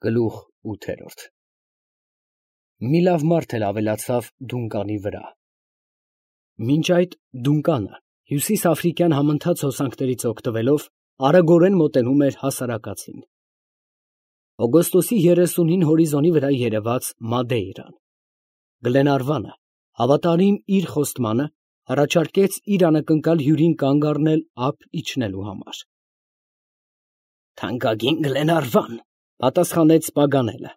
Գլուխ 8 Մի լավ մարդ էլ ավելացավ Դունկանի վրա։ Մինչ այդ Դունկանը հյուսիսաֆրիկյան համընթաց հոսանքներից օգտվելով արագորեն մոտենում էր հասարակածին։ Օգոստոսի 30-ին հորիզոնի վրա երևաց Մադեյրան։ Գլենարվանը, հավատարիմ իր խոստմանը, առաջարկեց իր անակնկալ հյուրին կանգ առնել ափ իջնելու համար։ «Թանկագին Գլենարվան», պատասխանեց Պագանելը,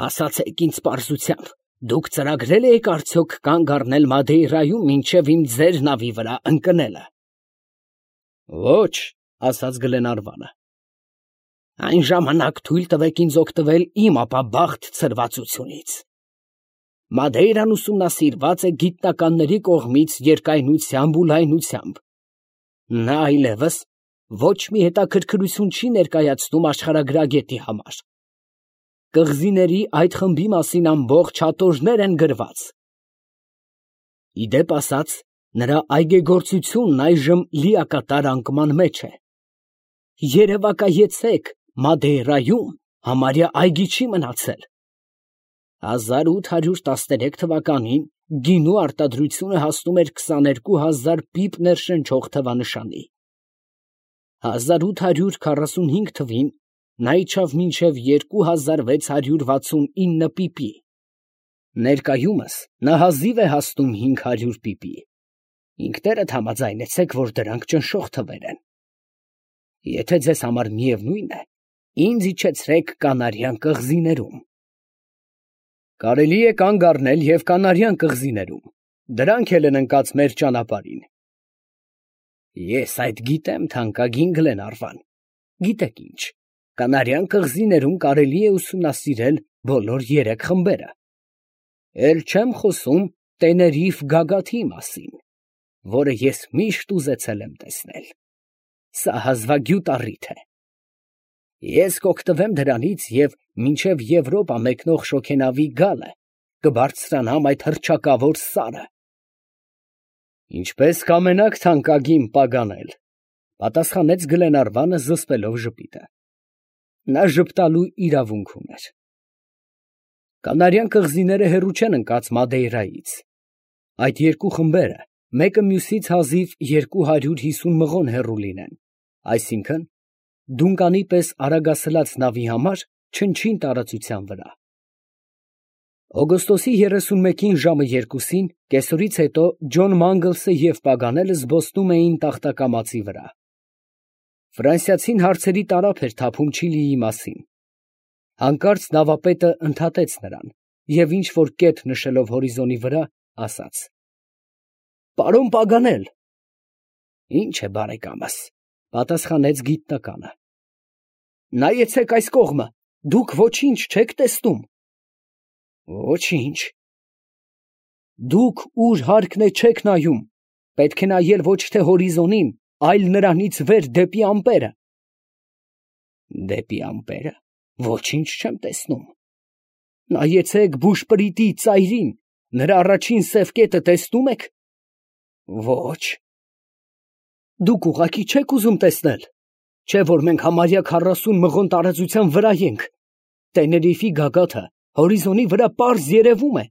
ասացեք ինձ պարզությամբ, դուք ծրագրել եք արդյոք կանգ առնել Մադեյրայում մինչև իմ ձեր նավի վրա ընկնելը։ Ոչ, ասաց Գլենարվանը։ Այն ժամանակ թույլ տվեք ինձ օգտվել իմ ապաբախտ ցրվածությունից։ Մադեյրան ուսումնասիրված է գիտնականների կողմից երկայնությամբ ու լայնությամբ։ Նա այլևս ոչ մի հետաքրքրություն չի ներկայացնում աշխարհագրագետի համար։ Կղզիների այդ խմբի մասին ամբողջ հատորներ են գրված։ Ի դեպ ասած, նրա այգեգործությունն այժմ լիակատար անկման մեջ է։ Երևակայեցեք, Մադեյրայում համարյա այգի չի մնացել։ 1813 թվականին գինու արտադրությունը հասնում էր 22,000 պիպ ներշնչող թվանշանի։ 1845 թվին նա իջավ մինչև 2669 պիպի։ Ներկայումս նա հազիվ է հասնում 500 պիպի։ Ինքներդ համաձայնեցեք, որ դրանք ճնշող թվեր են։ Եթե ձեզ համար միևնույն է, ինձ իջեցրեք Կանարյան կղզիներում։ Կարելի է կանգ առնել և Կանարյան կղզիներում, դրանք էլ են ընկած մեր ճանապարհին։ Ես այդ գիտեմ, թանկագին Գլենարվան, գիտեք ինչ, Կանարյան կղզիներում կարելի է ուսումնասիրել բոլոր 3 խմբերը։ Էլ չեմ խոսում Տեներիֆ գագաթի մասին, որը ես միշտ ուզեցել եմ տեսնել։ Սա հազվագյուտ առիթ է։ Ես կօգտվեմ դրանից և մինչև Եվրոպա մեկնող շոգենավի գալը կբարձրանամ այդ հռչակավոր սարը։ Ինչպես կամենաք, թանկագին Պագանել, պատասխանեց Գլենարվանը զսպելով ժպիտը։ Նա ժպտալու իրավունք ուներ։ Կանարյան կղզիները հեռու չեն ընկած Մադեյրայից։ Այդ 2 խմբերը մեկը մյուսից հազիվ 250 մղոն հեռու լինեն, այսինքն Դունկանի պես արագասլաց նավի համար չնչին տարածության վրա։ Օգոստոսի 31-ին ժամը 2-ին կեսօրից հետո Ջոն Մանգլսը և Պագանելը զբոսնում էին տախտակամածի վրա։ Ֆրանսիացին հարցերի տարափ էր թափում Չիլիի մասին։ Հանկարծ նավապետը ընդհատեց նրան և ինչ֊որ կետ նշելով հորիզոնի վրա, ասաց. Պարոն Պագանել։ Ինչ է բարեկամս, պատասխանեց գիտնականը։ Նայեցեք այս կողմը, դուք ոչինչ չեք տեսնում։ Ոչինչ։ Դուք ուր հարկն է չեք նայում, պետք է նայել ոչ թե հորիզոնին, այլ նրանից վեր դեպի ամպերը։ Դեպի ամպերը, ոչինչ չեմ տեսնում։ Նայեցեք բուշպրիտի ծայրին, նրա առաջին սև կետը տեսնում եք։ Ոչ։ Դուք ուղղակի չեք ուզում տեսնել, չէ որ մենք համարյա 40 մղոն տարածության վրա ենք։ Տեներիֆի գագաթը հորիզոնի վրա պարզ երևում է։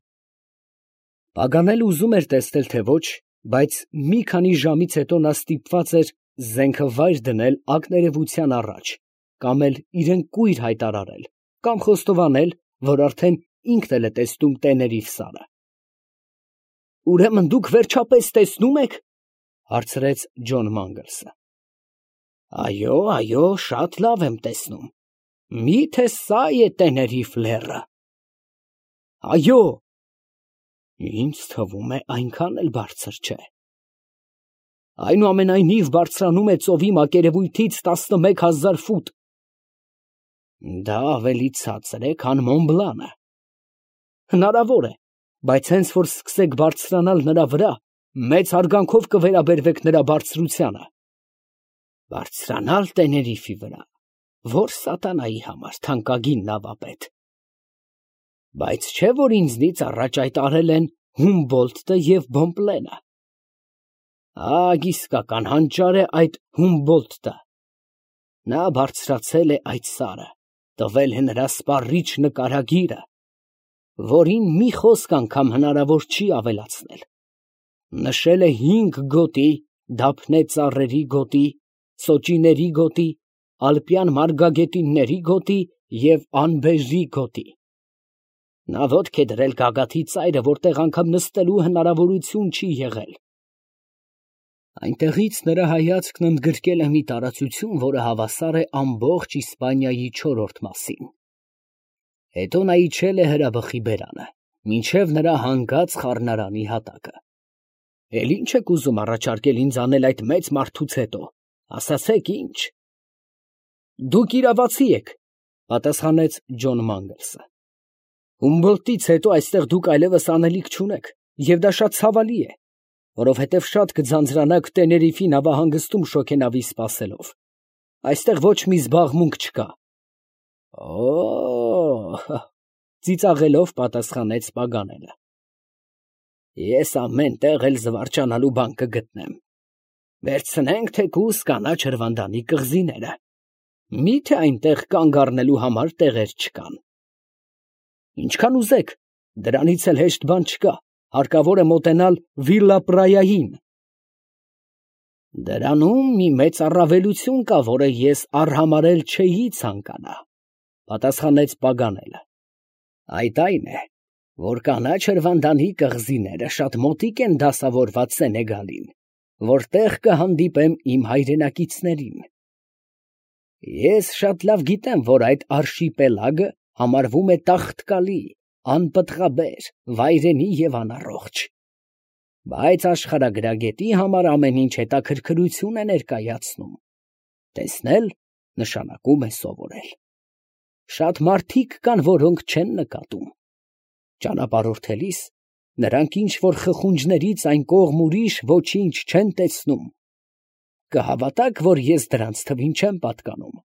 Պագանելը ուզում էր տեսնել, թե ոչ, բայց մի քանի ժամից հետո նա ստիպված էր զենքը վայր դնել ակներևության առաջ, կամ էլ իրեն կույր հայտարարել, կամ խոստովանել, որ արդեն ինքն էլ է տեսնում Տեներիֆ սարը։ Ուրեմն դուք վերջապես տեսնում եք, հարցրեց Ջոն Մանգլսը։ Այո, շատ լավ եմ տեսնում։ Միթե սա է Տեներիֆ լեռը։ Այո։ Ինձ թվում է այնքան էլ բարձր չէ։ Այնուամենայնիվ բարձրանում է ծովի մակերևույթից 11,000 ֆուտ։ Դա ավելի ցածր է, քան Մոնբլանը։ Հնարավոր է, բայց հենց որ սկսեք բարձրանալ նրա վրա, մեծ հարգանքով կվերաբերվեք նրա բարձրությանը։ Բարձրանալ Տեներիֆի վրա, որ սատանայի համար, թանկագին նավապետ։ Բայց չէ որ ինձնից առաջ այդ արել են Հումբոլդտը և Բոմպլենը։ Իսկական հանճար է այդ Հումբոլդտը։ Նա բարձրացել է այդ սարը, տվել է նրա սպառիչ նկարագիրը, որին մի խոսք անգամ հնարավոր չի ավելացնել. նշել է 5 գոտի, դափնե ծառերի գոտի, սոճիների գոտի, ալպյան մարգագետինների գոտի և անբեժի գոտի։ Նա ոտք է դրել գագաթի ծայրը, որտեղ անգամ նստելու հնարավորություն չի եղել։ Այնտեղից նրա հայացքն ընդգրկել է մի տարածություն, որը հավասար է ամբողջ Իսպանիայի 4-րդ մասին։ Հետո նա իջել է հրաբխի բերանը, մինչև նրա հանգած խառնարանի հատակը։ Էլ ի՞նչ եք ուզում առաջարկել ինձ անել այդ մեծ մարդուց հետո, ասացեք ինչ։ Դուք իրավացի եք, պատասխանեց Ջոն Մանգլսը։ Հումբոլդտից հետո այստեղ դուք այլևս անելիք չունեք, և դա շատ ցավալի է, որովհետև շատ կձանձրանաք Տեներիֆի նավահանգստում շոգենավի սպասելով։ Այստեղ ոչ մի զբաղմունք չկա։ Օ՜օ, ծիծաղելով պատասխանեց Պագանելը։ Ես ամեն տեղ էլ զվարճանալու բան կգտնեմ։ Վերցնենք թեկուզ կանաչ հրվանդանի կղզիները։ Մի՞թե այնտեղ կանգ առնելու համար տեղեր չկան։ Ինչքան ուզեք, դրանից էլ հեշտ բան չկա, հարկավոր է մոտենալ Վիլլա Պրայային։ Դրանում մի մեծ առավելություն կա, որը ես արհամարհել չէի ցանկանա, պատասխանեց Պագանելը։ Այդ այն է, որ կանաչ հրվանդանի կղզիները շատ մոտիկ են դասավորված Սենեգալին, որտեղ կհանդիպեմ իմ հայրենակիցներին։ Ես շատ լավ գիտեմ, որ այդ արշիպելագը համարվում է տաղտկալի, անպտղաբեր, վայրենի և անառողջ։ Բայց աշխարհագրագետի համար ամեն ինչ հետաքրքրություն է ներկայացնում։ Տեսնել նշանակում է սովորել։ Շատ մարդիկ կան, որոնք չեն նկատում։ Ճանապարհորդելիս նրանք ինչ-որ խխունջներից այն կողմ ուրիշ ոչինչ չեն տեսնում։ Կհավատաք, որ ես դրանց թվին չեմ պատկանում։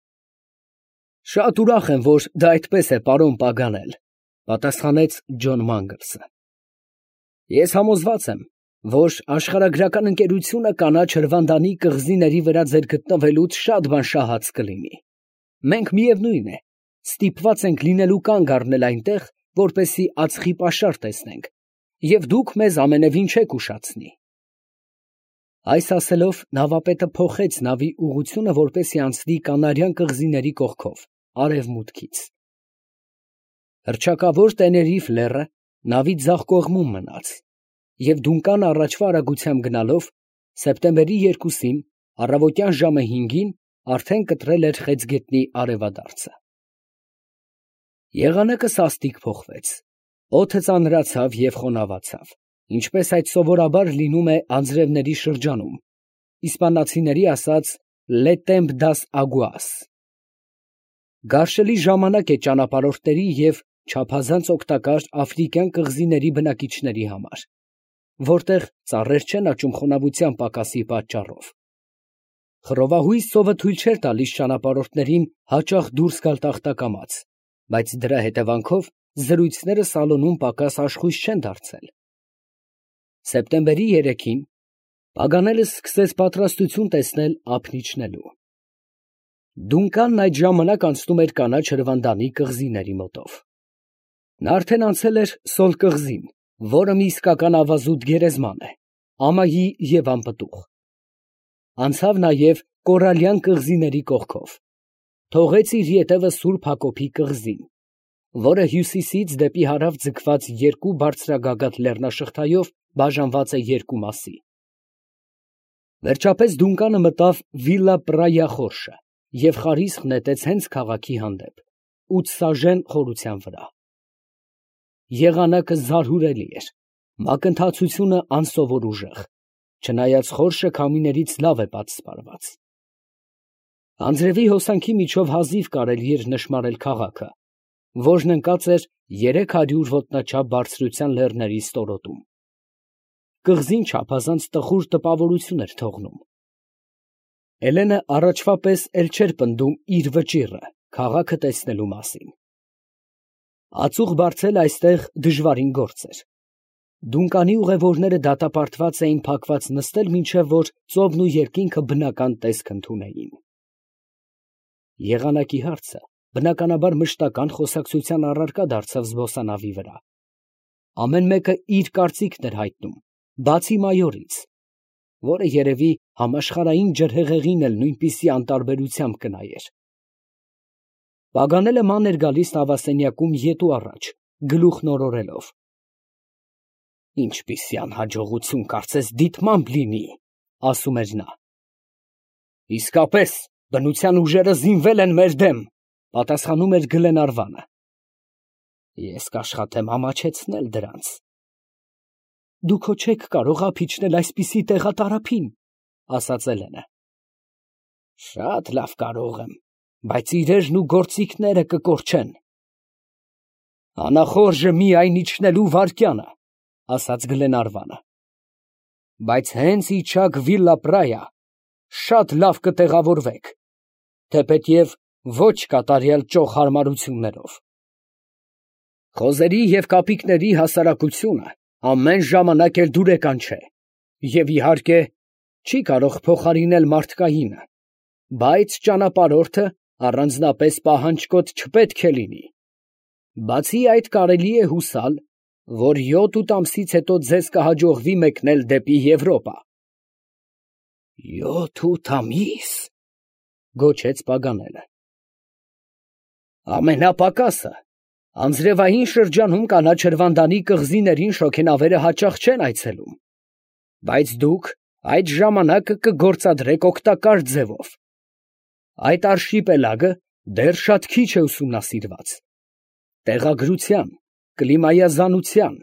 Շատ ուրախ եմ, որ դա այդպես է, պարոն Պագանել, պատասխանեց Ջոն Մանգլսը։ Ես համոզված եմ, որ աշխարհագրական ընկերությունը կանաչ հրվանդանի կղզիների վրա ձեր գտնվելուց շատ բան շահած կլինի։ Մենք միևնույն է, ստիպված ենք լինելու կանգ առնել այնտեղ, որպեսզի ածխի պաշար տեսնենք, և դուք մեզ ամենևին չեք ուշացնի։ Այս ասելով նավապետը փոխեց նավի ուղղությունը, որպեսզի անցնի Կանարյան կղզիների կողքով, արևմուտքից։ Հռչակավոր Տեներիֆ լեռը նավի ձախ կողմում մնաց, և Դունկան առաջվա արագությամբ գնալով, սեպտեմբերի 2-ին, առավոտյան ժամը 5-ին արդեն կտրել էր Խեցգետնի արևադարձը։ Եղանակը սաստիկ փոխվեց, օդը ծանրացավ և խոնավացավ, ինչպես այդ սովորաբար լինում է անձրևների շրջանում, իսպանացիների ասած «Le temps das aguas»։ Գարշելի ժամանակ է ճանապարհորդների և չափազանց օգտակար աֆրիկյան կղզիների բնակիչների համար, որտեղ ծառեր չեն աճում խոնավության պակասի պատճառով։ Խռովահույս ծովը թույլ չէր տալիս ճանապարհորդներին հաճախ դուրս գալ տախտակամած, բայց դրա հետևանքով զրույցները սալոնում պակաս աշխույժ չեն դարձել։ Սեպտեմբերի 3-ին Պագանելը սկսեց պատրաստություն տեսնել ափն իջնելու։ Դունկանն այդ ժամանակ անցնում էր կանաչ հրվանդանի կղզիների մոտով։ Նա արդեն անցել էր Սոլ կղզին, որը մի իսկական ավազուտ գերեզման է, ամայի և անպտուղ։ Անցավ նաև Կորալյան կղզիների կողքով, թողեց իր ետևը Սուրբ Հակոբի կղզին, որը հյուսիսից դեպի հարավ ձգված երկու բարձրագագաթ լեռնաշղթայով բաժանված է երկու մասի։ Վերջապես Դունկանը մտավ Վիլլա Պրայա խորշը և խարիսխ նետեց հենց քաղաքի հանդեպ, 8 սաժեն խորության վրա։ Եղանակը զարհուրելի էր, մակընթացությունը անսովոր ուժեղ, չնայած խորշը քամիներից լավ է պատսպարված։ Անձրևի հոսանքի միջով հազիվ կարելի էր նշմարել քաղաքը, որն ընկած էր 300 ոտնաչափ բարձրության լեռների ստորոտում։ Կղզին չափազանց տխուր տպավորություն էր թողնում։ Էլենը առաջվա պես էլ չէր պնդում իր վճիռը քաղաքը տեսնելու մասին։ Ածուխ բարձել այստեղ դժվարին գործ էր։ Դունկանի ուղևորները դատապարտված էին փակված նստել, մինչև որ ծովն ու երկինքը բնական տեսք ընդունեին։ Եղանակի հարցը բնականաբար մշտական խոսակցության առարկա դարձավ զբոսանավի վրա։ Ամեն մեկը իր կարծիքն էր հայտնում, բացի մայորից, որը երևի համաշխարհային ջրհեղեղին էլ նույնպիսի անտարբերությամբ կնայեր։ Պագանելը ման էր գալիս նավասենյակում ետու առաջ, գլուխն օրորելով։ Ինչպիսի անհաջողություն կարծես դիտմամբ լինի, ասում էր նա։ Իսկապես, բնության ուժերը զինվել են մեր դեմ, պատասխանում էր Գլենարվանը։ Ես կաշխատեմ ամաչեցնել դրանց։ Դուք հո չեք կարող ափիչնել այսպիսի տեղատարափին, ասաց Էլենը։ Շատ լավ կարող եմ, բայց իրերն ու գործիքները կկորչեն։ Անախորժը միայն իջնելու վայրկյանը, ասաց Գլենարվանը։ Բայց հենց իջաք Վիլլա Պրայա, շատ լավ կտեղավորվեք, թեպետև ոչ կատարյալ ճոխ հարմարություններով։ Խոզերի և կապիկների հասարակությունը ամեն ժամանակ էլ դուրեկան չէ, և իհարկե չի կարող փոխարինել մարդկայինը, բայց ճանապարհորդը առանձնապես պահանջկոտ չպետք է լինի։ Բացի այդ կարելի է հուսալ, որ 7-8 ամսից հետո ձեզ կհաջողվի մեկնել դեպի Եվրոպա։ 7-8 ամիս, գոչեց Պագանելը։ Ամենապակասը, անձրևային շրջանում կանաչրվանդանի կղզիներին շոգենավերը հաճախ չեն այցելում, բայց դուք այդ ժամանակը կգործադրեք օգտակար ձևով։ Այդ արշիպելագը դեռ շատ քիչ է ուսումնասիրված։ Տեղագրության, կլիմայազանության,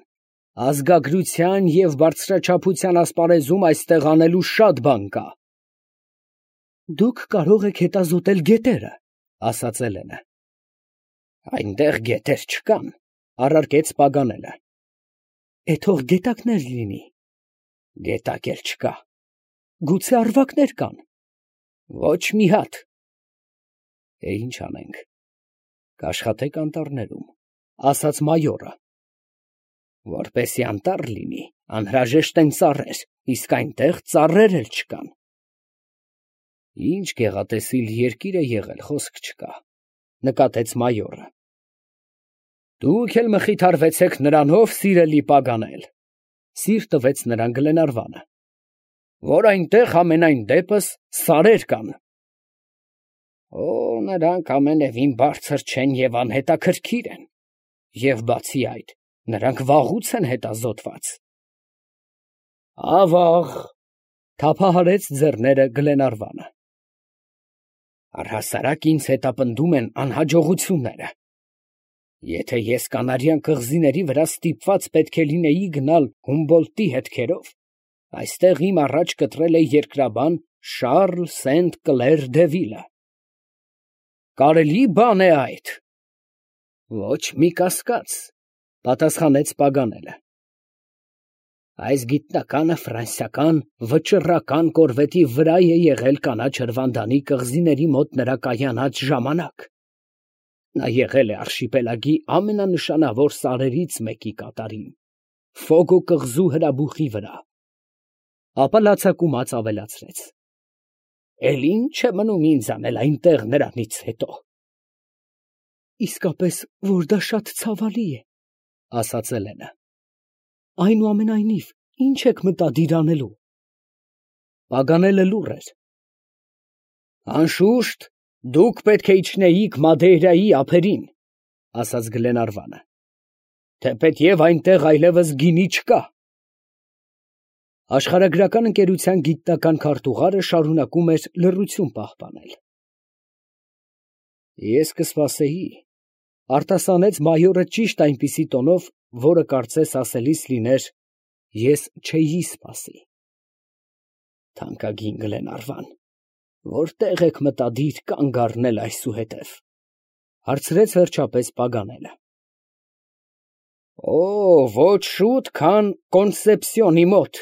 ազգագրության և բարձրաչափության ասպարեզում այստեղ անելու շատ բան կա։ Դուք կարող եք հետազոտել գետերը, ասաց Էլենը։ Այնտեղ գետեր չկան, առարկեց Պագանելը։ Թող գետակներ լինի։ Գետակ էլ չկա։ Գուցե առվակներ կան։ Ոչ մի հատ։ Ինչ անենք, կաշխատեք անտառներում, ասաց մայորը։ Որպեսի անտառ լինի, անհրաժեշտ են ծառեր, իսկ այնտեղ ծառեր էլ չկան։ Ինչ գեղատեսիլ երկիր է եղել, խոսք չկա, նկատեց մայորը։ Դուք էլ մխիթարվեցեք նրանով, սիրելի Պագանել, սիր տվեց նրան Գլենարվանը, որ այնտեղ ամենայն դեպս սարեր կան։ Նրանք ամենևին բարձր չեն և անհետաքրքիր են, և բացի այդ, նրանք վաղուց են հետազոտված։ Ավաղ, թափահարեց ձեռները Գլենարվանը։ Առհասարակ ինձ հետապնդում են անհաջողությունները։ Եթե ես Կանարյան կղզիների վրա ստիպված պետք է լինեի գնալ Հումբոլդտի հետքերով, այստեղ իմ առաջ կտրել է երկրաբան Շառլ Սենտ֊Կլեր Դևիլը։ Կարելի բան է այդ։ Ոչ մի կասկած, պատասխանեց Պագանելը։ Այս գիտնականը ֆրանսիական վճռական կորվետի վրա է եղել կանաչրվանդանի կղզիների մոտ նրա կայանած ժամանակ։ Նա եղել է արշիպելագի ամենանշանավոր սարերից մեկի կատարին, Ֆոգո կղզու հրաբուխի վրա։ Ապա լացակումած ավելացրեց. Էլ ինչ է մնում ինձ անել այնտեղ նրանից հետո։ Իսկապես, որ դա շատ ցավալի է, ասաց Էլենը։ Այնուամենայնիվ, ինչ եք մտադիր անելու։ Պագանելը լուռ էր։ Անշուշտ, դուք պետք է իջնեիք Մադեյրայի ափերին, ասաց Գլենարվանը, թեպետև այնտեղ այլևս գինի չկա։ Աշխարհագրական ընկերության գիտնական քարտուղարը շարունակում էր լռություն պահպանել։ Ես կսպասեի, արտասանեց մայորը ճիշտ այնպիսի տոնով, որը կարծես ասելիս լիներ, ես չէի սպասի։ Թանկագին Գլենարվան, որտեղ եք մտադիր կանգ առնել այսուհետև, հարցրեց վերջապես Պագանելը։ Ոչ շուտ, քան Կոնսեպսիոնի մոտ։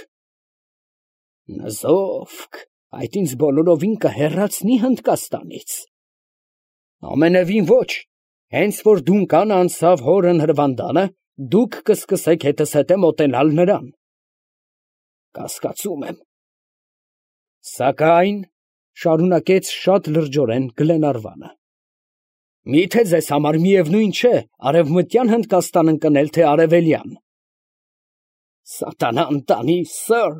Նզովք, այդ ինձ բոլորովին կհեռացնի Հնդկաստանից։ Ամենևին ոչ, հենց որ Դունկան անցավ հորն հրվանդանը, դուք կսկսեք հետս հետե մոտենալ նրան։ Կասկածում եմ։ Սակայն, շարունակեց շատ լրջորեն Գլենարվանը, Միթե ձեզ համար միևնույն չէ արևմտյան Հնդկաստան ընկնել, թե արևելյան։ Սատանան տանի, սըր,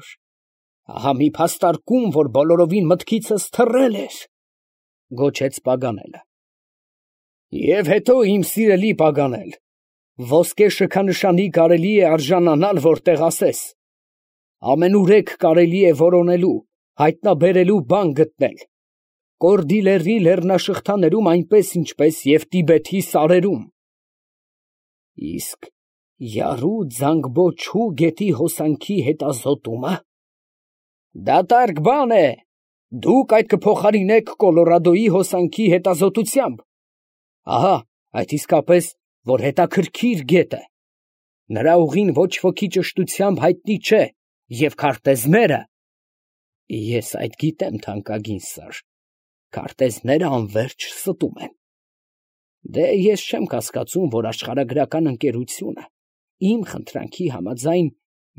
ահա մի փաստարկում, որ բոլորովին մտքիցս թռել էր, գոչեց Պագանելը։ Եվ հետո, իմ սիրելի Պագանել, ոսկե շքանշանի կարելի է արժանանալ, որտեղ ասես, ամենուրեք կարելի է որոնելու, հայտնաբերելու բան գտնել, Կորդիլերի լեռնաշղթաներում այնպես, ինչպես և Տիբեթի սարերում։ Իսկ Յարու Ձանգբոչու գետի հոսանքի հետազոտումը դատարկ բան է, դուք այդ կփոխարինեք Կոլորադոյի հոսանքի հետազոտությամբ։ Ահա, այդ իսկապես, որ հետաքրքիր գետ է, նրա ուղին ոչ ոքի ճշտությամբ հայտնի չէ, և քարտեզները, ես այդ գիտեմ, թանկագին սըր, քարտեզները անվերջ ստում են։ Դե ես չեմ կասկածում, որ աշխարհագրական ընկերությունը իմ խնդրանքի համաձայն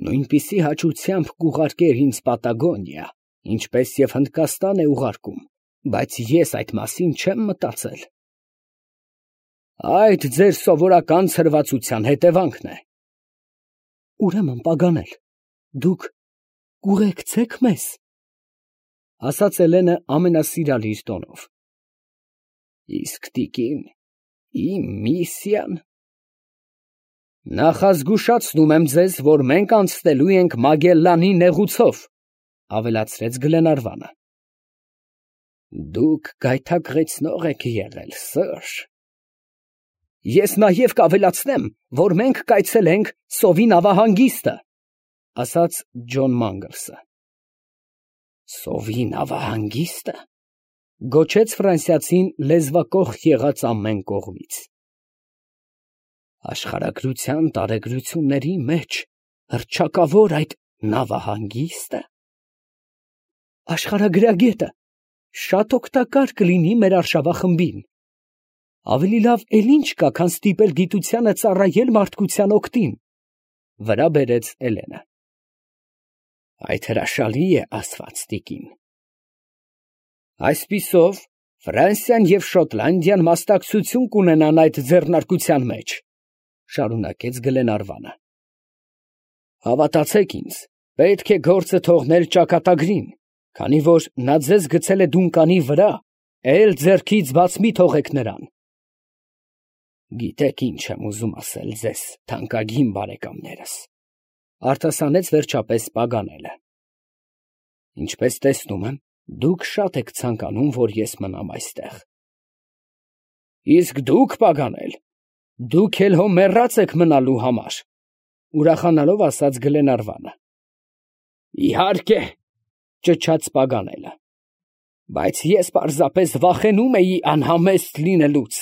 նույնպիսի հաճությամբ կուղարկեր ինձ Պատագոնիա, ինչպես և Հնդկաստան է ուղարկում, բայց ես այդ մասին չեմ մտածել։ Այդ ձեր սովորական ցրվածության հետևանքն է։ Ուրեմն, Պագանել, դուք կուղեկցեք մեզ, ասաց Էլենը ամենասիրալիր տոնով։ Իսկ տիկին, իմ միսիան։ Նախազգուշացնում եմ ձեզ, որ մենք անցնելու ենք Մագելլանի նեղուցով, ավելացրեց Գլենարվանը։ Դուք գայթակղեցնող եք եղել, սըր։ Ես նաև կավելացնեմ, որ մենք կայցելենք Սովի նավահանգիստը, ասաց Ջոն Մանգլսը։ Սովի նավահանգիստը, գոչեց ֆրանսիացին լեզվակոխ եղած ամեն կողմից։ Աշխարհագրության տարեգրությունների մեջ հռչակավոր այդ նավահանգիստը։ Աշխարհագրագետը շատ օգտակար կլինի մեր արշավախմբին։ Ավելի լավ էլ ինչ կա, քան ստիպել գիտությանը ծառայել մարդկության օգտին, վրա բերեց Էլենը։ Այդ հրաշալի է ասված, տիկին։ Այսպիսով, Ֆրանսիան և Շոտլանդիան մասնակցություն կունենան այդ ձեռնարկության մեջ, շարունակեց Գլենարվանը։ Հավատացեք ինձ, պետք է գործը թողնել ճակատագրին, քանի որ նա ձեզ գցել է Դունկանի վրա, էլ ձեռքից բաց մի թողեք նրան։ Գիտեք ինչ եմ ուզում ասել ձեզ, թանկագին բարեկամներս, արտասանեց վերջապես Պագանելը։ Ինչպես տեսնում եմ, դուք շատ եք ցանկանում, որ ես մնամ այստեղ։ Իսկ դուք, Պագանել, դուք էլ հո մեռած եք մնալու համար, ուրախանալով ասաց Գլենարվանը։ Իհարկե, ճչաց Պագանելը, բայց ես պարզապես վախենում էի անհամեստ լինելուց։